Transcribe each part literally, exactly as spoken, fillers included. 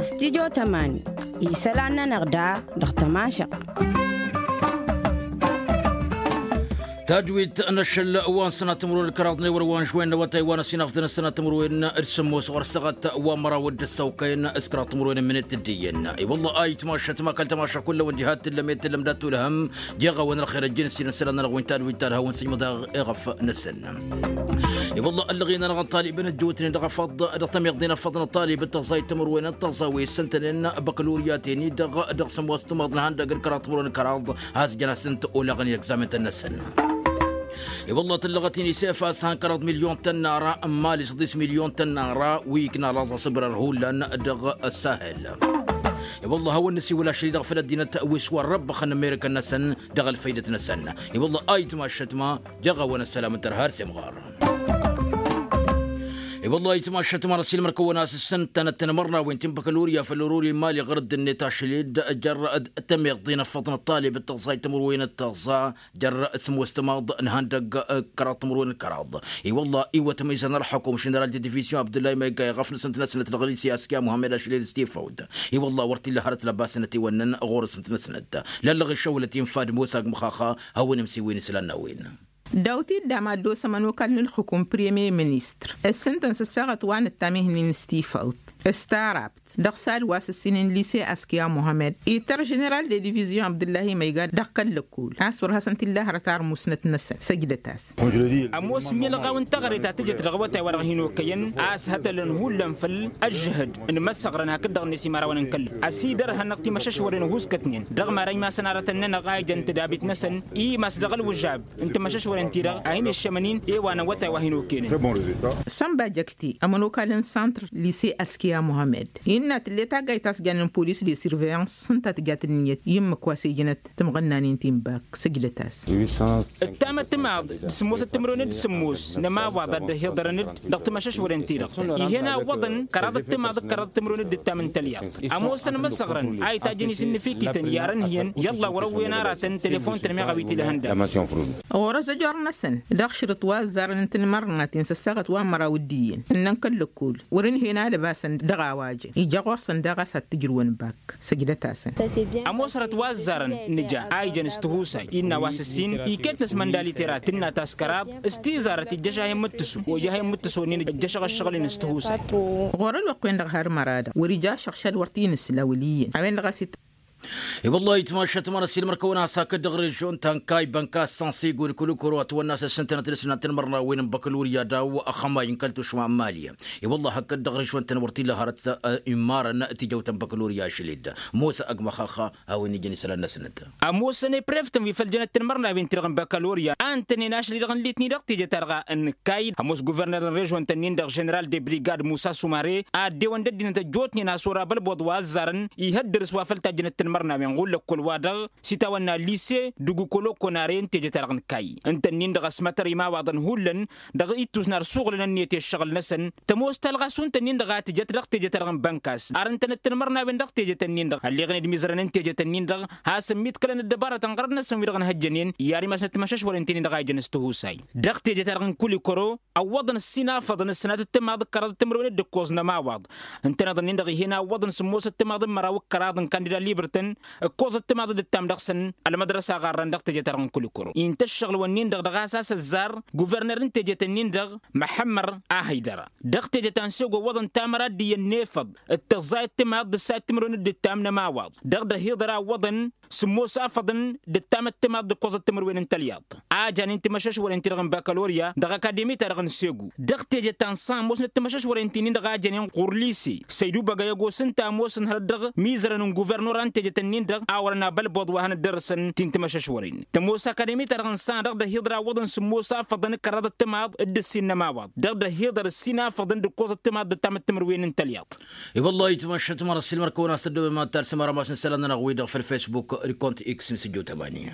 Stidyo tămani isălan-nănăɣ da dăɣ-tămašăɣt. Tajwit n-ašăl wa n-sănat timǝrwen d-kăraḍ n-ewăr wa n-žwen n-awătay wa n-ăsinafḍăn ăsănat timǝrwen d-sǝmmos ɣur-săɣăt wa n-măraw d-ăssăwkăyăn s-kăraḍ timǝrwen n-minit d-iyyăn. I-wălla a itmašăt ma kăl-tămaša kull-awăn diha t-tǝllăm i-tǝllăm dat-tulhăm. Jeɣ-awăn ălxer ăjjăn s-ila n-sălan-nănăɣ wi n-tadwit talhawăn sǝjmăḍ eɣăf-năsăn. I-wălla ăllăɣen-anăɣ ăṭṭalibăn ăjjootnen dăɣ-afăḍ dăɣ-tămiḍen afăḍ n-ăṭṭalib d-tăẓẓayt timǝrwen d-tăẓẓa wi ǝssǝntănen băkăluryaten-i-dăɣ dăɣ-sǝmmos timaḍ n-ihăndăg d-kăraḍ timǝrwen d-kăraḍ. Has-jăn-asǝnt olaɣăn i-egzamen-tăn-năsăn. I-wălla tǝllăɣăt-in isef a-s han kăraḍ milyon tănnara n-mali s-ḍis milyon tănnara wi ikna laẓ asǝbrăr hullan dăɣ-ăssahel. I-wălla hawăn-nǝsiwǝl ašăl-i-dăɣ făll-ăddinăt wi s-wăr răbbăxăn n-amerikăn-năsăn dăɣ-ălfăydăt-năsăn. I-wălla a itmašăt ma jeɣ-awăn ăssălam n-tărha ar semɣar. I-wălla a itmašăt ma n-ăsilmăr-kăwăn a-s ǝssǝntănăt tinmărnawen ti n-băkălurya făll-orori n-mali ɣur-dd-net ašăl-i-dd jăr-dd tămiḍ-i n-ăffăḍ n-ăṭṭalib d-tăẓẓa i-timǝrwen d-tăẓẓa jer-sǝmmos timaḍ n-ihăndăg kăraḍ timǝrwen d-kăraḍ. I-wălla iwătăm izan ălxukum ženeral de divizyon abdullah imayga iɣăf n-asǝnt-năsnăt dăɣ-lise askiya muhammed ašlel s-tifăwt. I-wălla wăr t-illa hărăt lăbasnăt iwănnăn ɣur-asǝnt-năsnăt lăllăɣ išăwlăt infa d-mosag măxaxa. Hawăn-imsiwen islan n-a-wen. Daw-t-dd amaddos ămănokal n-ǝlxǝkum premier ministăr ǝssǝntăn s-ăssaɣăt wa n-ǝttam ihǝnnin s-tifăwt s-tarab dăɣ-sad wa s-ǝssin n-lise askiya muhammed ităr ženeral de divizyon abdǝllahi măyga dăɣ-kăl-lăkkul a-s wăr hasăn-t-illa hărăt armusnăt-năsăn săjdăt-as. Ămoos milɣaw n-teɣăre ta tǝjăt dăɣ-awătay wa dăɣ-hin-okăyăn a-s hătălăn hullan făll-ăžžăhăd n-imăsăɣrăn hakd-dăɣ-net imărawăn n-kăl-lăkkul ăsidărhănăɣ timăšăšwăren ăhuuskătnen dăɣ-mara imasăn aratăn-nănăɣ a ijăn tǝdabit-năsăn i-imas dăɣ-ălwǝžab n-timăšăšwăren-ti-dăɣ a hin-iššămăn-in i-wa n-awătay wa hin-okăyăn. Sănba jăkte ămănokal n-santr lise askiya muhammed innă tǝlle taggayt a-s jannen polis de surveyans s-ǝnta tǝjat ǝnniyăt i-ǝmmǝk wa s-ejănăt timɣănnanen ti n-bak săjdăt-as. Ǝttam ăttimaḍ d-sǝmmosăt timǝrwen d-sǝmmos n-ămawaḍ a dd-ăhiḍărăn-dd dăɣ-timăšăšwăren-ti-dăɣ. Ih'-en a ǝwwăḍăn kăraḍ ăttimaḍ d-kăraḍ timǝrwen d-ǝttam n-tălyaḍt. Ămoosăn imăsăɣrăn a itajjăn isǝnnǝfikităn i-arănhǝyăn i-ălla wăr-ăwwen aratăn telefon-tăn meɣ a-wi t-ila ihăndam. Ɣur-ăzăjor-năsăn dăɣ-šrǝt wa ǝzzarăn n-tinmărnaten s-ăssaɣăt wa n-măraw d-iyyăn ǝnnăn kăl-lăkkol wăr-ǝnhăyăn alăbasăn dăɣ-a-wa jăn ija ɣur-săn daɣ a-s ad-t-ǝjrǝwăn bak. Săjdăt-asăn. Ămoosărăt wa ǝzzarăn nǝja a ijăn s-tihusay innă wa s-ǝssin iket-năs măndalitera tǝnna ta s-kăraḍ s-tizarăt ijjăš a hin-mǝttǝsu ojah a hin-mǝttǝsu-nin ǝjjăšăɣ ǝššăɣǝl-in s-tihusay. Ɣur-ălwăqq-wen-dăɣ har măra-dăɣ wăr-ija ašăɣšad wăr t-inǝsla wăl' iyyăn a-wen-dăɣ a-s i-wăllah itmašat măra s-ilmăr-kăwăn-as hakd dăɣ-režion ta n-kay bănka s-sansigo d-kăl-ukăro a tawănna a-s ǝssǝntănăt dăɣ-sănat n-imărnawen n-băkălurya daw-axămay n-kăl-tušma n-mali. I-wăllah hakd dăɣ-režion-tăn wăr t-illa hărăt immarăn tijăwt n-băkălurya ašăl-dd mosa ăgg măxaxa. A-wen ijăn isălan-năsnăt. Ămoosăn i-preftăn wi făl jănăt tinmărnawen-ti-dăɣ n-băkălurya a ǝntănen ašăl-i-dăɣ ǝnlit-ni-dăɣ tejăt-ta-dăɣ a n-kayy ămoos guverner n-režion-tăn-in-dăɣ ženeral de brigad musa sumare a ăddewăn d-ăddinăt ăjjootnen a-s wăr-abălboḍ wa ăzzarăn. Ihăddărǝs wa făl tajjănăt tinmărnawen ɣur-lăkkol-wa-dăɣ s-itawănna lise d-ugukolokonare n-tejăt-ta-dăɣ n-kayy ǝnta-nin-dăɣ ăsmătăr imawaḍăn hullan dăɣ-ittus n-arsǝɣulăn ǝnniyăt i-ăššăɣǝl-năsăn. Tămoos talɣa šund-tăn-in-dăɣ a tǝjăt dăɣ-tejăt-ta-dăɣ n-bănkas ar ǝntănăt tinmărnawen dăɣ-tejăt-tăn-in-dăɣ ălleɣăn-dd imizărăn n-tejăt-tăn-in-dăɣ. Hasăn-miḍkălăn ăddăbarătăn ɣărăt-năsăn wi-dăɣ ǝnhăjjănen i-ar imasnăt timăšăšwăren-ten-in-dăɣ a ijăn s-tihusay dăɣ-tejăt-ta-dăɣ n-kulikoro. Ăwwăḍăn ǝssin afăḍăn ǝssănat d-timaḍ d-kăraḍ timǝrwen d-ǝkkoẓ n-ămawaḍ ǝntăneḍ-nin-dăɣ ih'-en a ǝwwăḍăn sǝmmosăt timaḍ n-măraw d-kăraḍ n-kandida libăr-tăn ǝkkoẓăt timaḍ d-ǝttam dăɣ-săn. Ălmădrăsa ɣarrăn dăɣ-tejăt-ta-dăɣ n-kulikoro-i n-tăššăɣǝl-wǝnnin-dăɣ dăɣ-a-s a-s ăzzar guverner n-tejăt-ǝnnin-dăɣ măḥămmăr a hăydăra. Dăɣ-tejăt ta n-sego ǝwwăḍăn tamăra d-iyyăn n-efăḍ d-tăẓẓayăt timaḍ d-ǝssayăt timǝrwen d-ǝttam n-ămawaḍ dăɣ-dd-ăhiḍăr a ǝwwăḍăn sǝmmos afăḍăn d-ǝttamăt timaḍ d-ǝkkoẓăt timǝrwen n-tălyaḍt. A janen timăšăšwăren-ti-dăɣ n-bakalorya dăɣ-akademi-ta-dăɣ n-segu dăɣ-teje ta n-san ămoosnăt timăšăšwăren-ti-nin-dăɣ a jănen ɣur-lise săydu băgăy ăgos ǝnta ămoosăn hărăt dăɣ-mizărăn n-guvernora n-tejet-ǝnnin-dăɣ a wărăn abălbăḍ wa hanăt-dăr-săn ti n-timăšăšwăren. Tămoos akademi-ta-dăɣ n-san dăɣ-dd-ăhiḍăr a ǝwwăḍăn sǝmmos afăḍăn d-kăraḍăt timaḍ d-ǝssin n-ămawaḍ dăɣ-dd-ăhiḍăr ǝssin afăḍăn d-ǝkkoẓăt timaḍ d-ǝttamăt timǝrwen n-tălyaḍt. I-wăllah itmăššăt măra s-ilmăr-kăwăn a-s tăddobem ad-tarsǝm ara ma s-nǝsălan-nănăɣ-wi-dăɣ făll-facebook d-kont x n-sǝjjo tămani.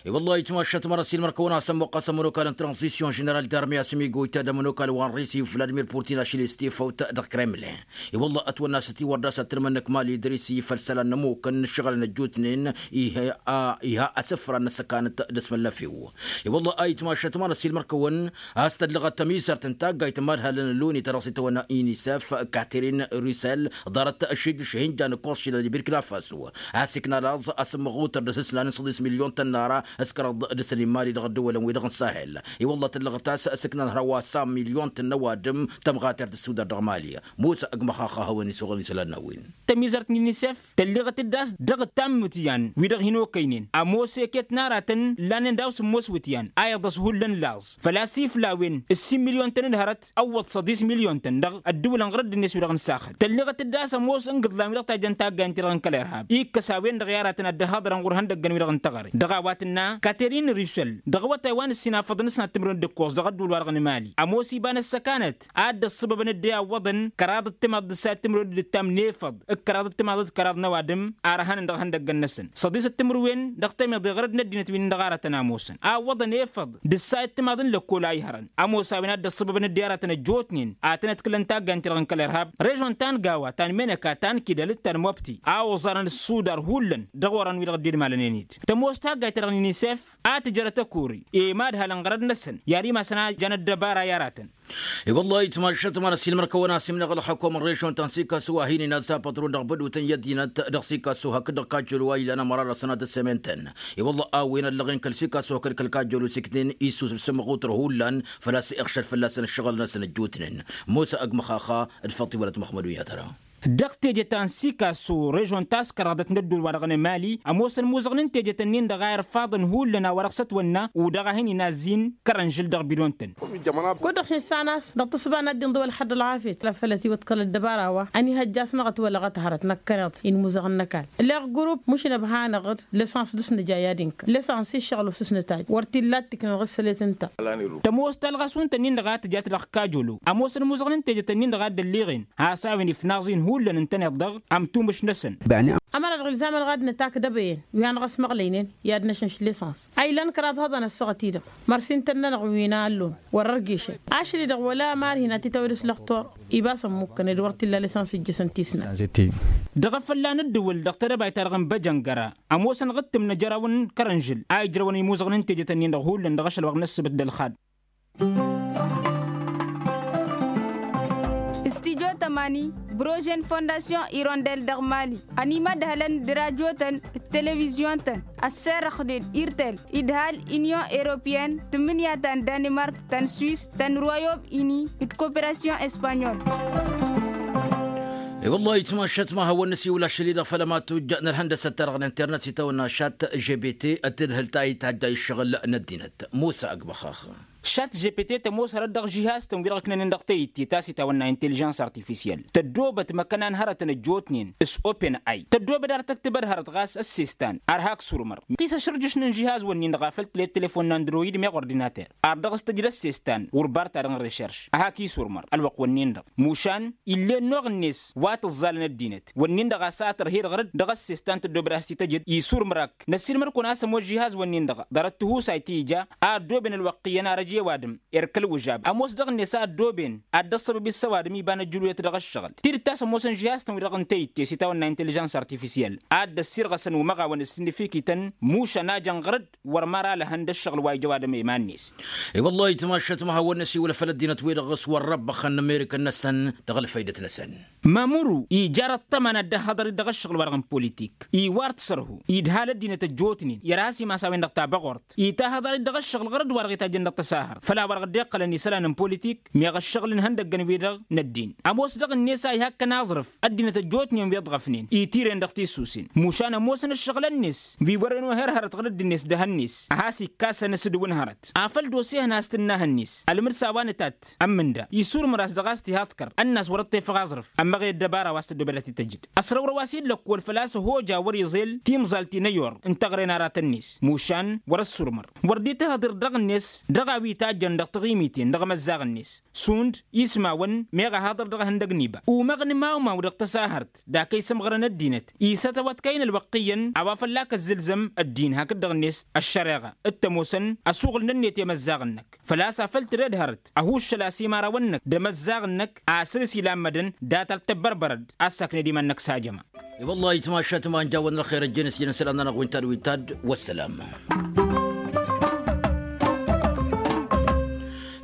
I-wălla itmašat măra s-ilmăr-kăwăn a-s ămmuqqas ămănokal n-tranzisyon ženeral d-armi a-s ămiguyt ad-ămănokal wa n-risi făll-admir purtin ašil i-stifăwt dăɣ-kremlin. I-wălla ătwănna s-ătiwăr d-a-s ad-tǝrmǝnnǝk mali d-risi făll-isălan n-ămmuk n-ǝššăɣǝlăn ăjjootnen. Iha asǝfra n-ăssăkanăt d-asmălnăfiw. I-wălla a itmašat măra s-ilmăr-kăwăn a-s tăllăɣăt tămizărt n-taggayt n-imadhalăn n-loni ta dăɣ-s itawănna inisef katerin rusel ḍarăt šijǝš ihinja n-ǝkkoẓ šilăn i-birkina faso. A-s ikna laẓ asǝmmăɣutăr d-asǝslan n-săḍis milyon tănnara s-kăraḍ d-asăl n-imali dăɣ-ăddăwălăn-wi-dăɣ n-sahel. I-wălla tăllăɣăt a-s ăsǝkna n-hărwa sam milyon tănnăwadǝm tămɣatert d-sudar dăɣ-mali. Musa ăgg măxaxa a hawăn-isăɣăl isălan n-a-wen. Tămizărt n-inisef tălleɣăt-dd a-s dăɣ-ǝttam iwǝtyan wi-dăɣ hin-okăynen ămoos eket n-aratăn ǝllanen daw-s ămoos iwǝtyan a iḍăs hullan laẓ făl-a-s ifla a-wen ǝssin milyon-tăn d-hărăt ăwwăḍ săḍis milyon-tăn dăɣ-ăddǝwǝlăn ɣur-ăddǝnet-wi-dăɣ n-saxăl. Tălleɣăt-dd a-s ămoos n-igǝḍlan wi-dăɣ tajăn taggayăn-ti-dăɣ n-kăl-irhab ikkăs a-wen-dăɣ i-aratăn ad-dd-ăhhăḍărăn ɣur-ihăndăggăn-wi-dăɣ n-teɣăre dăɣ-a-wa tǝnna katerin rusel dăɣ-awătay wa n-ǝssin afăḍăn s-nat timǝrwen d-ǝkkoẓ dăɣ-ădduul-wa-dăɣ n-imali ămoos iba n-ăssăkanăt a dd-ăṣṣăbăbăn dd-e-awwăḍăn kăraḍ d-timaḍ d-ǝssa timǝrwen d-ǝttam n-efăḍ d-kăraḍ d-timaḍ d-kăraḍ n-ăwadǝm ar ăhănăn dăɣ-ihăndăggăn-năsăn săḍis d-timǝrwen dăɣ-temeḍe ɣărăd n-ăddinăt wi-nin-dăɣ aratăn a ămoosăn a ǝwwăḍăn efăḍ d-ǝssa i-timaḍ n-lăkkol a ihărăn ămoos a-wen a dd-ăṣṣăbăbăn dd-e-aratăn ăjjootnen ad-tăn-ădkǝlăn taggayăn-ti-dăɣ n-kăl-irhab režon ta n-gawa ta n-menăka ta n-kidăl d-ta n-mobti a oẓarăn ǝssudar hullan dăɣ-orăn-wi-dăɣ dd-idmalănen-dd tămoos taggayt-ta-dăɣ n-inisef a tǝjărăt ăkori i-imadhalăn ɣărăd-năsăn i-ad-imasăn a jan ăddăbara i-aratăn. I-wăllah itmašat măra s-ilmăr-kăwăn a-s imnăɣ ălxukum n-režon ta n-sikasu a hin-inazza pătrun dăɣ-bădutăn i-ăddinăt dăɣ-sikasu hakd-dăɣ kajjălu wa ilan ămăra dăɣ-sănatăt sementen. I-wăllah a-wen ăllăɣen kăl-sikasu hakd kăl-kajjălu s-iknen issus d-sǝmmăɣutăr hullan făl-a-s iɣšăl fălla-săn ǝššăɣǝl-năsăn ăjjootnen. Musa ăgg măxaxa d-făṭṭ iwălăt măxmădun i-ad-tăra. Dăɣ-teje ta n-sikasu režon ta s-kăraḍăt n-ădduul-wa-dăɣ n-emali ămoosăn imuzăɣnen teje-tăn-in-dăɣ a irfaḍăn hullan a-wa dăɣ-s ătwănna u-dăɣ a hin-inazzin kărănžǝl dăɣ-bidon-tăn. Kud-dăɣ šǝnsan a-s dăɣ-tǝsba n-ad-dd-inḍǝw ălxăḍ ălɣafyăt la făl ătiwăḍkăl ăddăbara-wa ănihăjja a-s năɣ ătwălăɣăt hărăt năkkăneḍ-i n-imuzăɣăn n-ăkall. Ǝlleɣ grup mušǝnăb hanăɣ-dd lăsans dăɣ-s nǝja i-ad-inkăl lăsans iššăɣǝl osǝsnăt a-j wăr t-illa ad-t-iknăn ɣǝssălet ǝnta. Tămoos talɣas wi n-tăn-in-dăɣ a tǝjat dăɣ-kajolo ămoosăn imuzăɣnen teje-tăn-in-dăɣ a dd-ălliɣen has-a-wen ifnaẓ-in hullan ǝntăneḍ-dăɣ ămtumǝš-năsăn. Ămăra dăɣ-ilzam ălɣadnăt akdăbăyăn wi hanăɣ-ăsmăɣlăynen i-ad-năšănš lăsans a ilan kăraḍ hăḍăn ăssaɣăt-i-dăɣ mărsin tănnănăɣ wi n-allun wăr-ărgešăn ašăl-i-dăɣ wăla mar hin-ad-t-tawăd s-lăxtur. Ibas ămmukkăn ed wăr t-illa lăsans ijjăsăn tisna. Dăɣ-efălla n-ǝddǝwǝl dăɣ-tedăbayt-ta-dăɣ n-băjăngăra ămoosăn ɣǝttǝm n-ajăraw n-kărănžǝl a ijrăwăn imuzăɣnen teje-tăn-in-dăɣ hullan dăɣ-ašăl wa n-ăssăbăt d-ălxad. Studio tămani brožen fondasyon irondel dăɣ-mali ănimădhălăn d-rajotăn d-televizyon-tăn ăsserăxnen irtel idhal inyon europyen tǝmmǝnǝya ta n-danimark ta n-swis ta n-royom ini d-koperasyon espanyol. I-wăllah itmašat ma hawăn-nǝsiwǝl ašăl-i-dăɣ făll-amatujj n-ălhăndăsăt-ta-dăɣ n-internet s-itawănna šat žpt ăttǝdhǝl ta itadjay ǝššăɣǝl n-ăddinăt. Musa ăgg măxax. Šat žpt tămoos hărăt dăɣ-žihaz-tăn wi-dăɣ ǝknănen dăɣ-teyǝtte ta s-itawănna intellijans artifisiyel tăddoobăt măkăna n-hărătăn ăjjootnen s-open ai tăddoobăd ar tăktǝbăd hărăt ɣas ăssestan ar hak surmăr. Tisăšrǝjǝš n-inžihaz-wǝnnin-dăɣ a făl tǝled telefon n-androyid meɣ ordinater ar dăɣ-s tăjǝd ăssestan wăr bar ta dăɣ-n rešerš a hak-i surmăr ălwăqq-wǝnnin-dăɣ mušan ill'-e ănnuɣ-net wa tǝẓẓalăn ăddinăt. Wǝnnin-dăɣ a-s a tărhed ɣăr-dd dăɣ-ăssestan tăddoobăd a has-t-tăjǝd isurmăr-ak. Năssiilmăr-kăwăn a-s ămoos žihaz-wǝnnin-dăɣ ḍarăt tihusayt ti ija a ăddooben ălwăqq iyyăn arăj i-ăwadǝm erk ălwǝžab ămoos dăɣ-net a ăddooben ad-dd-ăṣṣăbăb i-s ăwadǝm iba n-ăjjǝluyăt dăɣ-ăššăɣǝl tidǝt ta s-ămoosăn žihaz-tăn-wi-dăɣ n-teyǝtte s-itawănna intellijans artifisiyel a dd-ăssirɣăsăn umăɣawăn ǝssinǝfikităn. Mušan a jăn ɣăr-dd wăr măra lăhăn d-ăššăɣǝl wa ija ăwadǝm i-iman-net. I-wăllah itmašat ma hawăn-năsiwǝl făll-ăddinăt-wi-dăɣ s-wăr răbbăxăn n-amerikăn-năsăn dăɣ-ălfăydăt-năsăn. Mamuru ija răṭṭăma n-ad-dd-ăhhăḍăr-dd dăɣ-ăššăɣǝl-wa-dăɣ n-politik i-wăr t-sărhu idhal ăddinăt ăjjootnen i-ad-has-imas a-wen-dăɣ tabăɣort itahăḍăr-dd dăɣ-ăššăɣǝl ɣăr-dd wa-dăɣ itajjăn dăɣ-tăsahărt făl-a-wa-dăɣ dd-iqqălăn isălan n-politik. Meɣ ăššăɣǝl n-ihăndăggăn-wi-dăɣ n-ăddin ămoos dăɣ-net a ihakkăn aẓrǝf ăddinăt ăjjootnen wi ǝḍɣăfnen itiren dăɣ-tisusen mušan ămoosăn ǝššăɣǝl-net wi wăren ohărhărăt ɣǝr-dd-net dăh-net a has-ikkasăn s-dd-wǝn hărăt afăl d-osehăn a-s tǝnnah-net ălmǝrs a-wa nǝtat ămmǝnda isurmăr-as dăɣ-a-s tihaḍkăr ănn'-as wăr-dd-tefăɣ aẓrǝf. Ămmăɣ i-ăddăbara wa s-tăddoobăd ad-t-tăjǝd ăsrăwrăw-as-dd lăkkol făl-a-s ăhoja wăr-iẓel timẓalt-i n-ăyor n-teɣre n-aratăn-net mušan wăr-ăssurmăr wăr dd-itǝhhăḍ irḍăɣ-net dăɣ-a-wi. Itajjăn dăɣ-taɣimiten dăɣ-imăzzaɣ-net šund ismawăn meɣ ahaḍăr dăɣ-ehăndăg n-iba umăɣ n-imawmaw dăɣ-tăsahărt dak a isǝmɣărăn ăddinăt isătăwăt kăyăn ălwăqq iyyăn a-wa fălla kăzzǝlzăm ăddin hakd-dăɣ-net ăššăreɣa d-tămoosăn ăsuɣǝl-nănnet i-imăzzaɣ-năk. Făl-a-s afăl tǝded hărăt ăhuuššăl a-s imărawăn-năk d-imăzzaɣ-năk asǝr s-ila n-mădăn data d-tăbbărbărăd a-s sakned iman-năk s-ajăma. I-wăllah itmašat iman jawăn n-ălxer ăjjeen s-jăn isălan-nănăɣ wi n-tadwit ta d-wăssălam.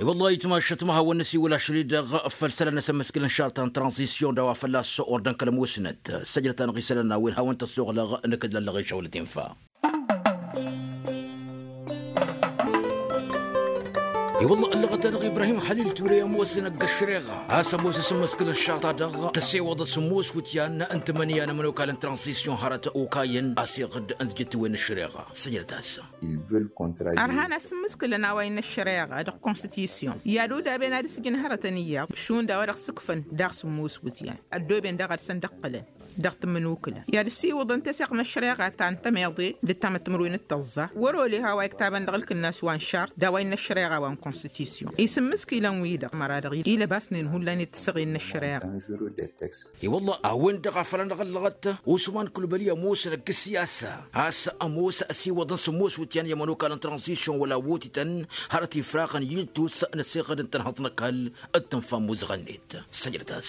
I-wăllah itmašat ma hawăn-năsiwǝl ašăl-i-dăɣ făll-isălan n-asǝmmǝskǝl n-išarta n-tranzisyon d-a-wa fălla-s ordăn kăl-ămoosnăt săjdăt-anăɣ isălan n-a-wen hawăn-tăssoɣlăɣ nǝkǝdlăl-lăɣ išăwăl tinfa. I-wălla ăllăɣăt-anăɣ ibrahim xalil ture ămoosăn ăgg-ăššăreɣa a-s ămoos asǝmmǝskǝl n-išarta-dăɣ tăsewăḍăt sǝmmos wǝtyan n-tǝmǝnǝya n-ămănokal n-tranzisyon hărăt okayăn a-s iɣǝd n-tijǝttǝwen n-ăššăreɣa săjdăt-as. Ărhan asǝmmǝskǝlăn a-wa innă ăššăreɣa dăɣ-konstitisyon i-ad-odaben ad-ǝsjǝn hărătăn iyyăḍ šund a-wa dăɣ-sǝkfăn daɣ sǝmmos wǝtyan ăddooben daɣ ad-săn-dd-ǝqqǝlăn dăɣ-tǝmmǝnukǝla i-ad-ǝssiwǝḍăn teseɣt n-ăššăreɣa ta n-tămeḍe d-ǝttamăt timǝrwen d-tăẓẓa wăr-ole ha wa iktabăn dăɣ-ǝlkǝnnas wa n-šart d-a-wa innă ăššăreɣa wa n-konstitisyon isǝmmǝskǝlăn-wi-dăɣ măra dăɣ-ila basnen hullan i-tǝssăɣen n-ăššăreɣa. I-wălla a-wen-dăɣ a făl anăɣ-ăllăɣăt usman kǝlbăli ămoosăn ăgg-ăssiyasa a-s ămoos ăsiwăḍăn sǝmmos wǝtyan i-ămănokal n-tranzisyon wăla wotităn hărăt ifraɣăn yǝltus n-ăsiɣăd n-tănhăḍt n-ăkall d-tǝnfa n-imuzăɣăn-net. Săjdăt-as.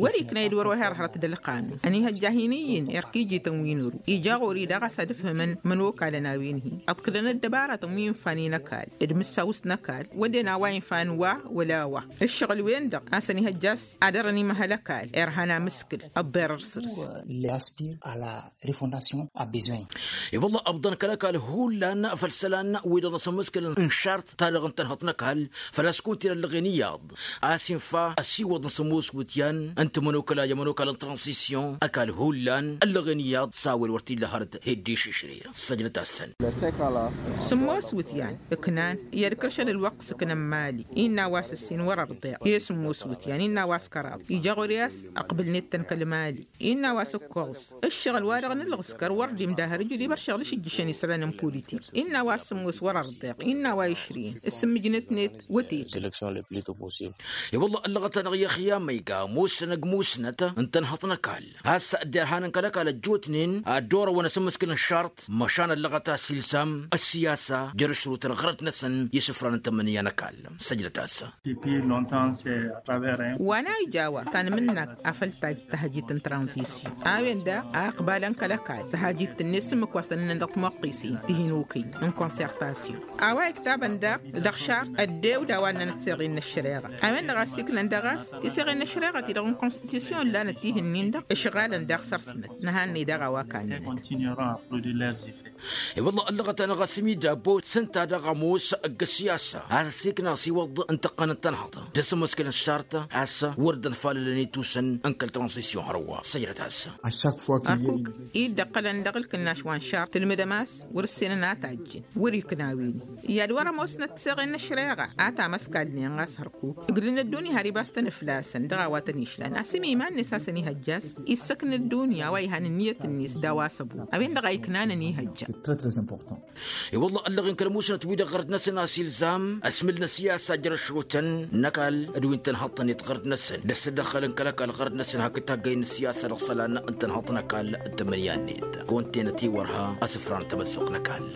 Wăr-ikna ed wăr-oher hărăt d-ălqanun ănihăjja hin-iyyǝn erk ijităn wi n-ăru ija ɣur-i daɣ a-s ad-ǝfhǝmăn imănokalăn a-wen-hi ǝḍkǝlăn ăddăbaratăn wi infa n-inăkall d-imǝssawǝst n-ăkall wădden a-wa infa n-wa wăla a-wa ǝššăɣǝl-wen-dăɣ a-s ănihăjja a-s ad-ărăn imăhăl ăkall irhan amǝskǝl ăḍḍerăr săr-s. Refondation a bezoin. I-wălla ăbḍăn kăl-ăkall hullan făll-isălan wi-dăɣ n-asǝmmǝskǝl n-šart ta dăɣ-n tănhăḍt n-ăkall făl-a-s kunta-in ăllăɣen iyyăḍ a-s infa ăsiwăḍ n-sămoos wǝtyan n-timănokăla i-ămănokal n-tranzisyon ăkall hullan ăllăɣen iyyăḍ s-a-wen wăr t-illa hărăt hedde išǝšre. Săjdăt-asăn. Sămoos wǝtyan ǝknan i-ad-kăršăn ălwăqq s-ǝknăn mali innă a-wa s-ǝssin wăr-ărḍeɣ i-sămoos wǝtyan innă a-wa s-kăraḍ ija ɣur-i a-s ăqbǝlnet-tăn kăl-mali. Innă a-wa s-ǝkkoẓ ǝššăɣǝl-wa-dăɣ n-ǝlɣǝskăr wăr dd-imdahăr ǝjǝd ibăršeɣ d-ašǝjjǝšăn isălan n-politik. Innă a-wa s-sǝmmos wăr-ărḍeɣ innă a-wa išrǝyăn ǝssǝmmǝjnăt-net wătetăn. I-wălla ăllăɣăt-anăɣ i-ăxyam ma iga ămoosăn ăgg musnăt n-tănhăḍt n-ăkall a-s derhanăn kăl-ăkall ăjjootnen ad-dd-orăwăn asǝmmǝskǝl n-šart măšan ăllăɣăt a-s ilzam ăssiyasa jer-ašrutăn ɣărăt-năsăn i-isǝfran n-tămmǝnǝya n-ăkall. Săjdăt-as. Wa n-a ija a-wa tanmǝnnakt afăl tajj tahajit n-tranzisyon a-wen daɣ a ăqbalăn kăl-ăkall tahajit-net s-ǝmmǝk wa s-tăn-ǝnnăn dăɣ-timoqqisen tihinukǝy n-konsertasyon. A-wa iktabăn daɣ dăɣ-šart ăddew d-a-wa ǝnnănăt tiseɣen n-ăššăreɣa a-wen-dăɣ a ăssiiklăn daɣ a-s tiseɣen n-ăššăreɣa-ti-dăɣ n-konstitisyon ǝllanăt tihǝnnin-dăɣ ǝšɣalăn daɣ săr-snăt nǝhannăy daɣ a-wa kannănăt. I-wălla ăllăɣăt-anăɣ a-s imidabbo s-ǝnta daɣ ămoos ăgg-ăssiyasa a-s ăssiikna ăsiwăḍ n-tăqqăn n-tănhăḍt d-asǝmmǝskǝl n-šart a-s wăr dd-ănfalălăn itusăn n-kăl-tranzisyon hărwa săjdăt-as. Ărkuk-i dd-ăqqălăn dăɣ-ǝlkǝnnaš wa n-šart tǝlmǝdăm a-s wăr-ǝssenăn a tajjǝn wăr-ikna a-wen-i i-ad-wăr-ămoosnăt tiseɣen n-ăššăreɣa a tamăskalnen ɣas hărkuk ǝglǝn ăddunya har ibas-tăn flasăn dăɣ-a-wa tăn-išlan a-s imi iman-net a-s ănihăjja a-s issăkna ăddunya a-wa ihan ǝnniyăt-net d-a-wa s-ăbu a-wen-dăɣ a iknan ănihăjja. I-wălla ăllăɣen kăl-musnăt-wi-dăɣ ɣărd-năsăn a-s ilzam ăsmǝl n-ăsiyasa jer-ašrutăn n-ăkall d-wi n-tănhăḍt-net ɣărd-năsăn d-ăsdăxălăn kăl-ăkall ɣărd-năsăn hakd taggăyăn n-ăsiyasa dăɣ-isălan n-tănhăḍt n-ăkall d-tămmǝnǝya-net kăwăn-tenăt iwărha asǝfran n-tamăzzuɣt n-ăkall.